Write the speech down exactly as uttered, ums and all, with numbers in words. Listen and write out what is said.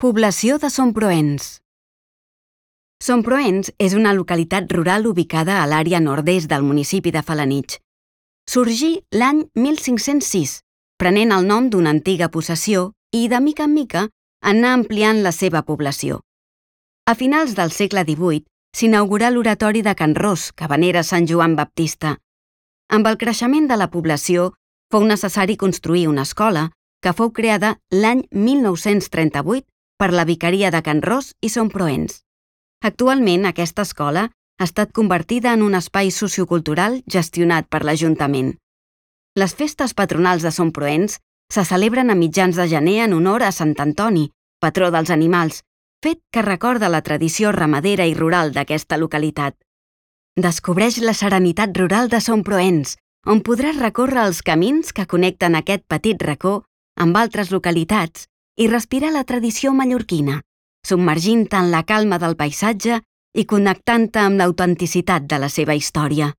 Població de Somproens. Somproens és una localitat rural ubicada a l'àrea nord-est del municipi de Felanitx. Sorgí l'any mil cinc-cents sis, prenent el nom d'una antiga possessió i, de mica en mica, anà ampliant la seva població. A finals del segle divuit s'inaugurà l'oratori de Can Ros, que venera Sant Joan Baptista. Amb el creixement de la població, fou necessari construir una escola que fou creada l'any mil nou-cents trenta-vuit per la Vicaria de Can Ros i Somproens. Actualment, aquesta escola ha estat convertida en un espai sociocultural gestionat per l'Ajuntament. Les festes patronals de Somproens se celebren a mitjans de gener en honor a Sant Antoni, patró dels animals, fet que recorda la tradició ramadera i rural d'aquesta localitat. Descobreix la serenitat rural de Somproens, on podràs recórrer els camins que connecten aquest petit racó amb altres localitats i respirar la tradició mallorquina, submergint-te en la calma del paisatge i connectant-te amb l'autenticitat de la seva història.